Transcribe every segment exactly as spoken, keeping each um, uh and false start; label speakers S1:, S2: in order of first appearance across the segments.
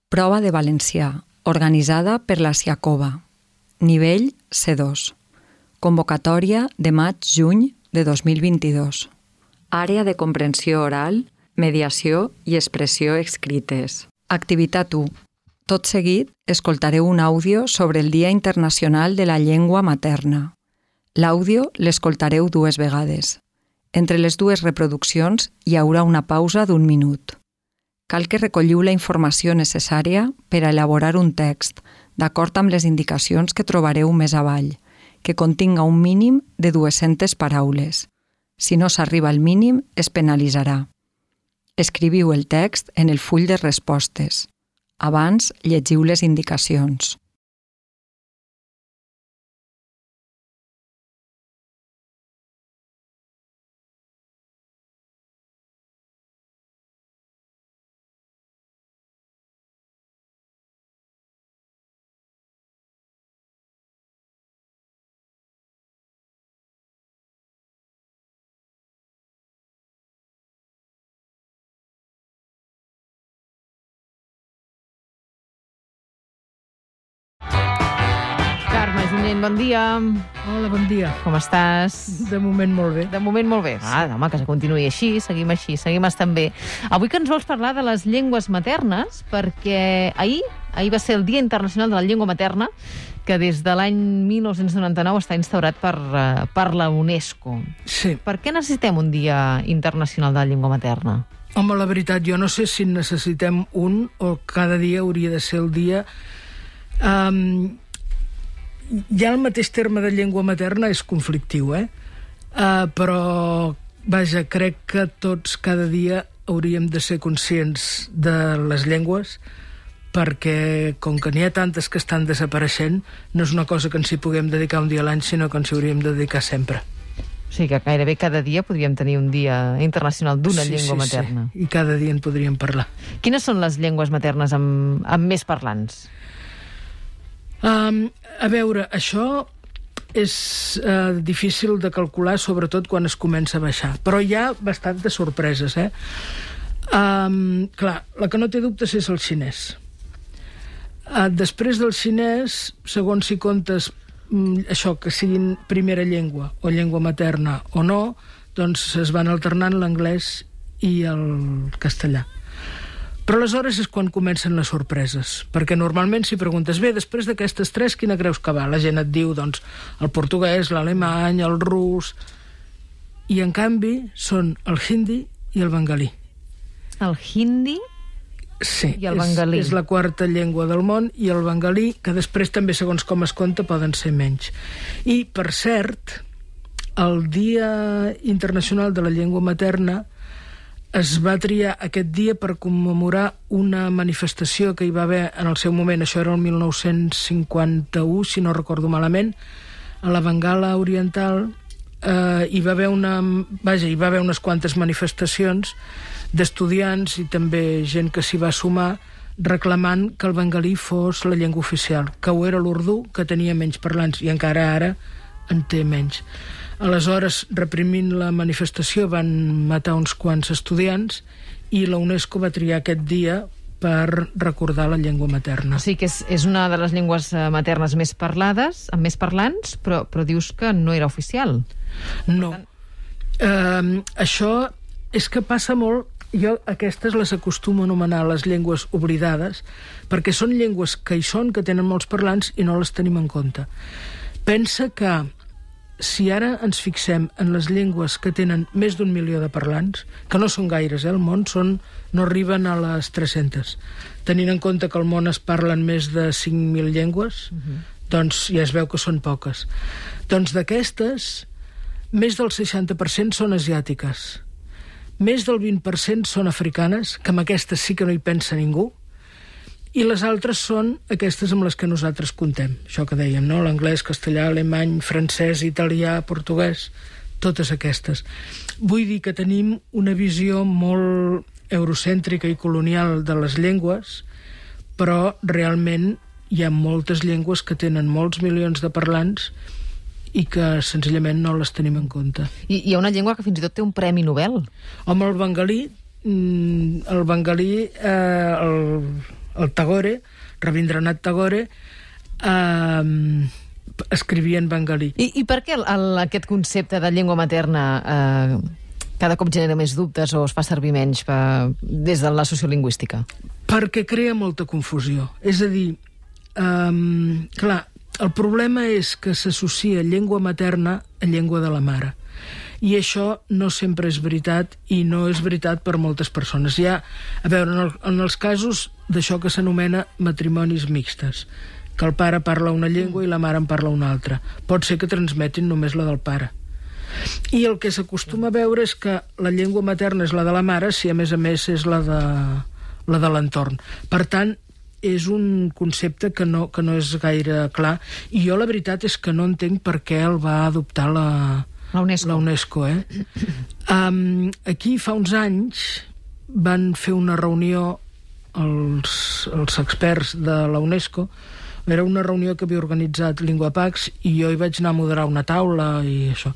S1: Prova de valencià, organitzada per la Siacova. Nivell C dos. Convocatòria de maig-juny de dos mil vint-i-dos. Àrea de comprensió oral, mediació i expressió escrites. Activitat u. Tot seguit, escoltareu un àudio sobre el Dia Internacional de la Llengua Materna. L'àudio l'escoltareu dues vegades. Entre les dues reproduccions hi haurà una pausa d'un minut. Cal que recolliu la informació necessària per a elaborar un text, d'acord amb les indicacions que trobareu més avall, que continga un mínim de dues-centes paraules. Si no s'arriba al mínim, es penalitzarà. Escriviu el text en el full de respostes. Abans, llegiu les indicacions.
S2: Junyent, bon dia.
S3: Hola, bon dia.
S2: Com estàs?
S3: De moment molt bé.
S2: De moment molt bé. Ah, home, que continuï així, seguim així, seguim estant bé. Avui que ens vols parlar de les llengües maternes, perquè ahir, ahir va ser el Dia Internacional de la Llengua Materna, que des de l'any mil nou-cents noranta-nou està instaurat per, uh, per la UNESCO.
S3: Sí.
S2: Per què necessitem un Dia Internacional de la Llengua Materna?
S3: Home, la veritat, jo no sé si necessitem un o cada dia hauria de ser el dia... Um, ja el mateix terme de llengua materna és conflictiu, eh? Uh, però, vaja, crec que tots cada dia hauríem de ser conscients de les llengües, perquè, com que n'hi ha tantes que estan desapareixent, no és una cosa que ens hi puguem dedicar un dia a l'any, sinó que ens hi hauríem de dedicar sempre.
S2: O sigui que gairebé cada dia podríem tenir un dia internacional d'una
S3: sí,
S2: llengua
S3: sí,
S2: materna.
S3: Sí, i cada dia en podríem parlar.
S2: Quines són les llengües maternes amb, amb més parlants?
S3: Um, a veure, això és uh, difícil de calcular, sobretot quan es comença a baixar, però hi ha bastantes sorpreses, eh? Um, clar, la que no té dubtes és el xinès. Uh, després del xinès, segons si comptes um, això, que siguin primera llengua o llengua materna o no, doncs es van alternant l'anglès i el castellà. Però aleshores és quan comencen les sorpreses, perquè normalment si preguntes, bé, després d'aquestes tres, quina creus que va? La gent et diu, doncs, el portuguès, l'alemany, el rus... I, en canvi, són el hindi i el bengalí.
S2: El hindi
S3: sí,
S2: i el bengalí.
S3: És, és la quarta llengua del món, i el bengalí, que després també, segons com es compta, poden ser menys. I, per cert, el Dia Internacional de la Llengua Materna es va triar aquest dia per commemorar una manifestació que hi va haver en el seu moment, això era el mil nou-cents cinquanta-u, si no recordo malament, a la Bengala Oriental, eh, hi va haver una, vaja, hi va haver unes quantes manifestacions d'estudiants i també gent que s'hi va sumar reclamant que el bengalí fos la llengua oficial, que ho era l'urdú, que tenia menys parlants, i encara ara en té menys. Aleshores, reprimint la manifestació, van matar uns quants estudiants i la UNESCO va triar aquest dia per recordar la llengua materna.
S2: O sigui que és, és una de les llengües maternes més parlades, amb més parlants, però, però dius que no era oficial.
S3: No. Uh, això és que passa molt... Jo aquestes les acostumo a anomenar les llengües oblidades, perquè són llengües que hi són, que tenen molts parlants i no les tenim en compte. Pensa que si ara ens fixem en les llengües que tenen més d'un milió de parlants, que no són gaires, eh? El món són, no arriben a les tres-centes. Tenint en compte que al món es parlen més de cinc mil llengües, uh-huh. doncs ja es veu que són poques. Doncs d'aquestes, més del seixanta per cent són asiàtiques. Més del vint per cent són africanes, que amb aquestes sí que no hi pensa ningú, i les altres són aquestes amb les que nosaltres contem. Això que dèiem, no? L'anglès, castellà, alemany, francès, italià, portuguès, totes aquestes. Vull dir que tenim una visió molt eurocèntrica i colonial de les llengües, però realment hi ha moltes llengües que tenen molts milions de parlants i que senzillament no les tenim en compte.
S2: I hi ha una llengua que fins i tot té un premi Nobel.
S3: Home, el bengalí, el bengalí, eh, el, el Tagore, Rabindranath Tagore, eh, escrivia en bengalí.
S2: I, i per què el, el, aquest concepte de llengua materna eh, cada cop genera més dubtes o es fa servir menys per, des de la sociolingüística?
S3: Perquè crea molta confusió. És a dir, eh, clar, el problema és que s'associa llengua materna a llengua de la mare. I això no sempre és veritat, i no és veritat per moltes persones. Hi ha, a veure, en, el, en els casos d'això que s'anomena matrimonis mixtes, que el pare parla una llengua i la mare en parla una altra. Pot ser que transmetin només la del pare. I el que s'acostuma a veure és que la llengua materna és la de la mare, si a més a més és la de, la de l'entorn. Per tant, és un concepte que no, que no és gaire clar, i jo la veritat és que no entenc per què el va adoptar la,
S2: la UNESCO.
S3: La UNESCO eh? um, aquí fa uns anys van fer una reunió els, els experts de la UNESCO. Era una reunió que havia organitzat LinguaPax i jo hi vaig anar a moderar una taula i això.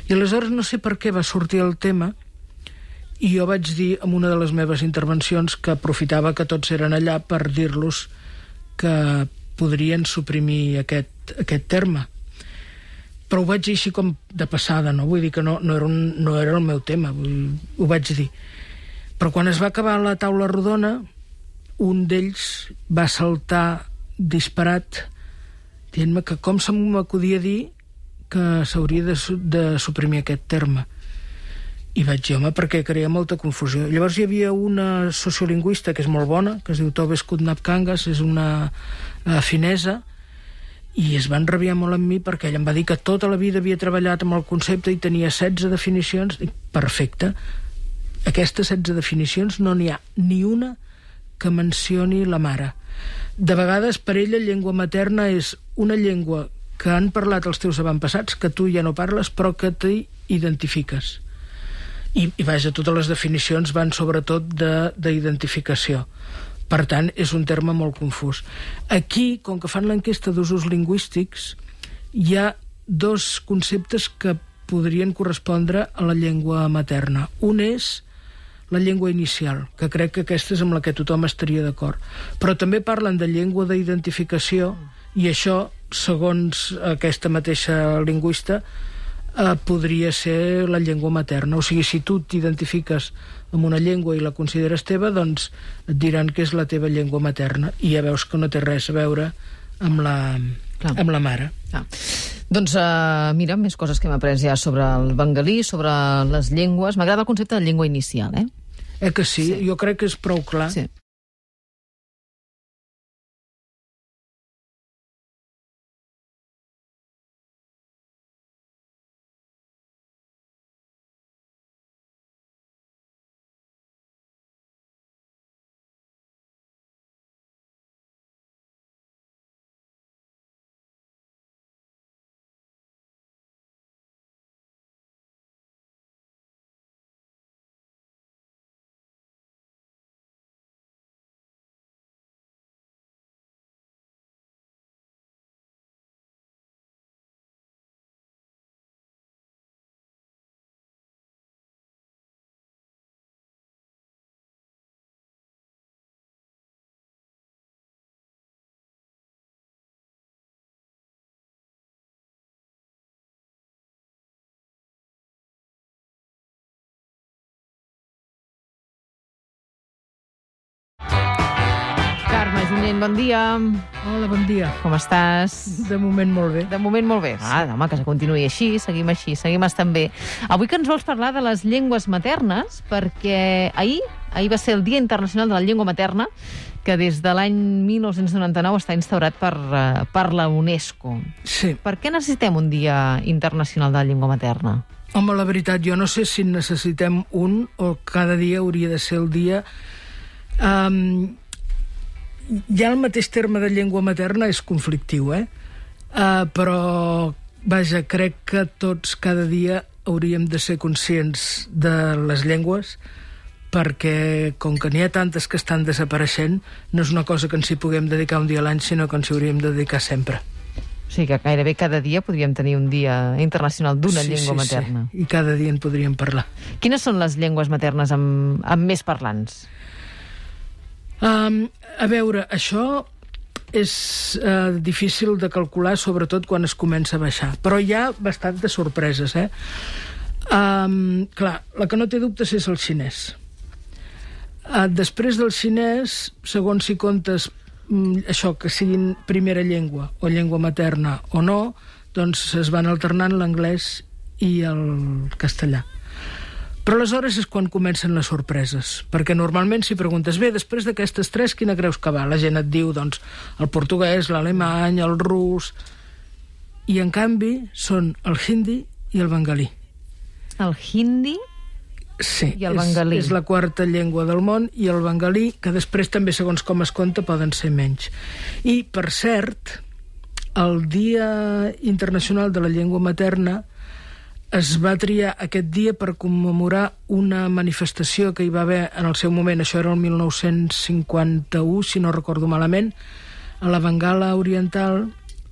S3: I aleshores no sé per què va sortir el tema i jo vaig dir en una de les meves intervencions que aprofitava que tots eren allà per dir-los que podrien suprimir aquest, aquest terme. Però ho vaig dir així com de passada, no? Vull dir que no, no, era, un, no era el meu tema, vull, ho vaig dir. Però quan es va acabar la taula rodona, un d'ells va saltar disparat dient-me que com se m'acudia dir que s'hauria de, de suprimir aquest terme. I vaig dir, home, perquè crea molta confusió. Llavors hi havia una sociolingüista que és molt bona, que es diu Tobe Skudnap-Kangas, és una uh, finesa, i es van rabiar molt amb mi perquè ella em va dir que tota la vida havia treballat amb el concepte i tenia setze definicions. Dic, perfecte. Aquestes setze definicions no n'hi ha ni una que mencioni la mare. De vegades, per ella, llengua materna és una llengua que han parlat els teus avantpassats, que tu ja no parles, però que t'hi identifiques. I, i vaja, totes les definicions van sobretot d'identificació. Per tant, és un terme molt confús. Aquí, com que fan l'enquesta d'usos lingüístics, hi ha dos conceptes que podrien correspondre a la llengua materna. Un és la llengua inicial, que crec que aquesta és amb la que tothom estaria d'acord. Però també parlen de llengua d'identificació, i això, segons aquesta mateixa lingüista, eh, podria ser la llengua materna. O sigui, si tu t'identifiques amb una llengua i la consideres teva, doncs et diran que és la teva llengua materna, i ja veus que no té res a veure amb la, amb la mare.
S2: Clar. Doncs uh, mira, més coses que hem après ja sobre el bengalí, sobre les llengües. M'agrada el concepte de llengua inicial, eh?
S3: Eh que sí? Sí. Jo crec que és prou clar.
S2: Sí. Junyent, bon dia.
S3: Hola, bon dia.
S2: Com estàs?
S3: De moment molt bé.
S2: De moment molt bé. Ah, home, que se continuï així, seguim així, seguim estant bé. Avui que ens vols parlar de les llengües maternes, perquè ahir, ahir va ser el Dia Internacional de la Llengua Materna, que des de l'any mil nou-cents noranta-nou està instaurat per, uh, per la UNESCO.
S3: Sí.
S2: Per què necessitem un Dia Internacional de la Llengua Materna?
S3: Home, la veritat, jo no sé si necessitem un o cada dia hauria de ser el dia... Um, ja el mateix terme de llengua materna és conflictiu, eh? Uh, però, vaja, crec que tots cada dia hauríem de ser conscients de les llengües, perquè com que n'hi ha tantes que estan desapareixent, no és una cosa que ens hi puguem dedicar un dia a l'any, sinó que ens hi hauríem de dedicar sempre.
S2: O sigui que gairebé cada dia podríem tenir un dia internacional d'una
S3: sí,
S2: llengua
S3: sí,
S2: materna.
S3: Sí, i cada dia en podríem parlar.
S2: Quines són les llengües maternes amb, amb més parlants?
S3: Um, a veure, això és uh, difícil de calcular, sobretot quan es comença a baixar. Però hi ha bastantes sorpreses, eh? Um, clar, la que no té dubtes és el xinès. Uh, després del xinès, segons si comptes um, això, que siguin primera llengua o llengua materna o no, doncs es van alternant l'anglès i el castellà. Però aleshores és quan comencen les sorpreses, perquè normalment si preguntes, bé, després d'aquestes tres, quina creus que va? La gent et diu, doncs, el portuguès, l'alemany, el rus... I, en canvi, són el hindi i el bengalí.
S2: El hindi
S3: sí,
S2: i el bengalí.
S3: És, és la quarta llengua del món, i el bengalí, que després també, segons com es compta, poden ser menys. I, per cert, el Dia Internacional de la Llengua Materna es va triar aquest dia per commemorar una manifestació que hi va haver en el seu moment, això era el mil nou-cents cinquanta-u, si no recordo malament, a la Bengala Oriental.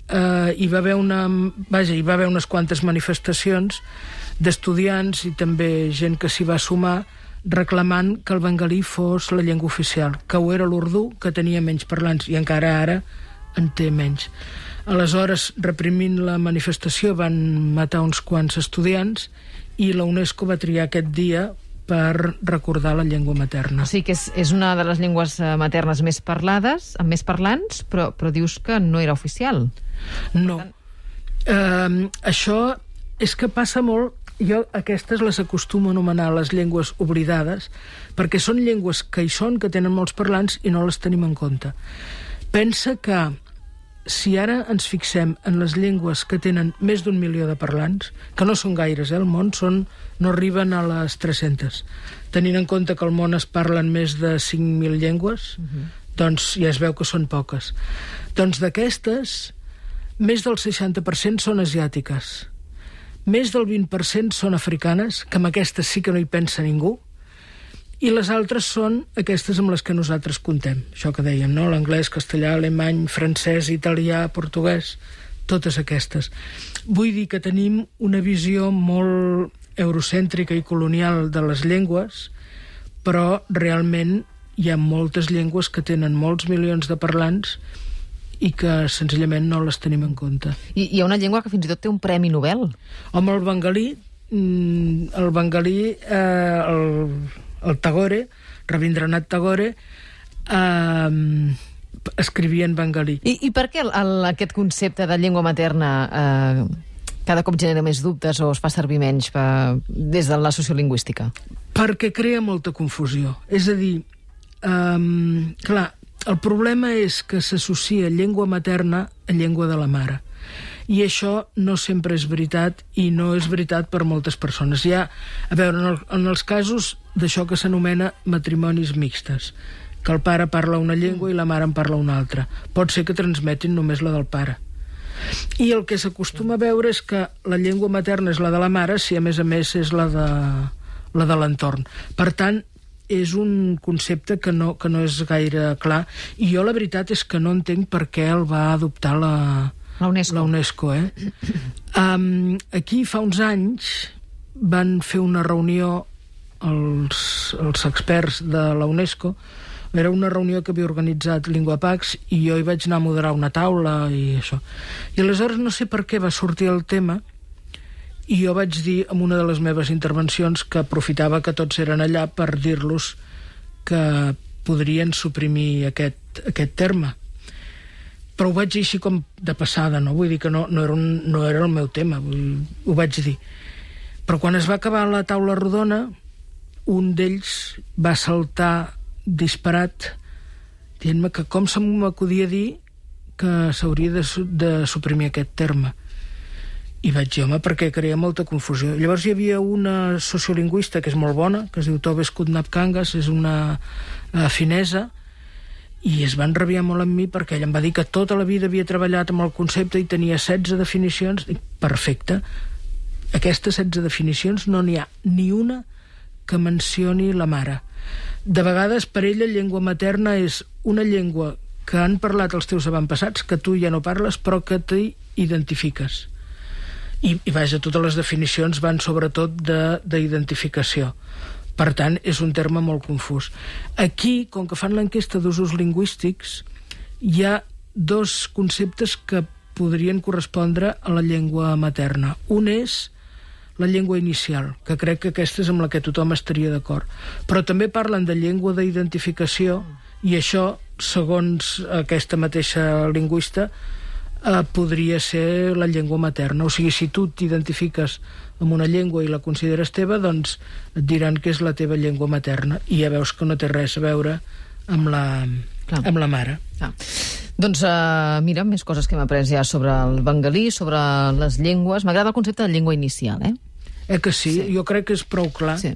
S3: Eh, hi va haver una, vaja, hi va haver unes quantes manifestacions d'estudiants i també gent que s'hi va sumar reclamant que el bengalí fos la llengua oficial, que ho era l'urdú, que tenia menys parlants, i encara ara en té menys. Aleshores, reprimint la manifestació, van matar uns quants estudiants i la UNESCO va triar aquest dia per recordar la llengua materna.
S2: O sigui que és, és una de les llengües maternes més parlades, amb més parlants, però, però dius que no era oficial.
S3: No. Uh, això és que passa molt... Jo aquestes les acostumo a anomenar les llengües oblidades, perquè són llengües que hi són, que tenen molts parlants i no les tenim en compte. Pensa que si ara ens fixem en les llengües que tenen més d'un milió de parlants, que no són gaires, eh, el món són, no arriben a les tres-centes, tenint en compte que al món es parlen més de cinc mil llengües, uh-huh. doncs ja es veu que són poques. Doncs d'aquestes, més del seixanta per cent són asiàtiques, més del vint per cent són africanes, que amb aquestes sí que no hi pensa ningú, i les altres són aquestes amb les que nosaltres contem. Això que dèiem, no? L'anglès, castellà, alemany, francès, italià, portuguès, totes aquestes. Vull dir que tenim una visió molt eurocèntrica i colonial de les llengües, però realment hi ha moltes llengües que tenen molts milions de parlants i que senzillament no les tenim en compte.
S2: I hi ha una llengua que fins i tot té un premi Nobel.
S3: Home, el bengalí, el bengalí, eh, el... el Tagore, Rabindranath Tagore, eh, escrivia en bengalí.
S2: I, i per què el, el, aquest concepte de llengua materna eh, cada cop genera més dubtes o es fa servir menys per, des de la sociolingüística?
S3: Perquè crea molta confusió. És a dir, eh, clar, el problema és que s'associa llengua materna a llengua de la mare. I això no sempre és veritat, i no és veritat per moltes persones. Hi ha, a veure, en, el, en els casos d'això que s'anomena matrimonis mixtes, que el pare parla una llengua i la mare en parla una altra. Pot ser que transmetin només la del pare. I el que s'acostuma a veure és que la llengua materna és la de la mare, si a més a més és la de, la de l'entorn. Per tant, és un concepte que no, que no és gaire clar, i jo la veritat és que no entenc per què el va adoptar la...
S2: La UNESCO.
S3: La UNESCO, eh? Um, aquí fa uns anys van fer una reunió els, els experts de la UNESCO. Era una reunió que havia organitzat LinguaPax i jo hi vaig anar a moderar una taula i això. I aleshores no sé per què va sortir el tema i jo vaig dir en una de les meves intervencions que aprofitava que tots eren allà per dir-los que podrien suprimir aquest, aquest terme. Però ho vaig dir així com de passada, no? Vull dir que no, no, era, un, no era el meu tema, vull, ho vaig dir. Però quan es va acabar la taula rodona, un d'ells va saltar disparat, dient-me que com se m'acudia dir que s'hauria de, de suprimir aquest terme. I vaig dir, home, perquè crea molta confusió. Llavors hi havia una sociolingüista que és molt bona, que es diu Tobe Skudnap-Kangas, és una uh, finesa, i es van rabiar molt amb mi perquè ella em va dir que tota la vida havia treballat amb el concepte i tenia setze definicions. Dic, perfecte. Aquestes setze definicions no n'hi ha ni una que mencioni la mare. De vegades, per ella, llengua materna és una llengua que han parlat els teus avantpassats, que tu ja no parles, però que t'hi identifiques. I, i vaja, totes les definicions van sobretot d'identificació. Per tant, és un terme molt confús. Aquí, com que fan l'enquesta d'usos lingüístics, hi ha dos conceptes que podrien correspondre a la llengua materna. Un és la llengua inicial, que crec que aquesta és amb la que tothom estaria d'acord. Però també parlen de llengua d'identificació, i això, segons aquesta mateixa lingüista, eh, podria ser la llengua materna. O sigui, si tu t'identifiques amb una llengua i la consideres teva, doncs et diran que és la teva llengua materna, i ja veus que no té res a veure amb la, amb la mare.
S2: Clar. Doncs uh, mira, més coses que hem après ja sobre el bengalí, sobre les llengües. M'agrada el concepte de llengua inicial, eh?
S3: Eh que sí? Sí. Jo crec que és prou clar.
S2: Sí.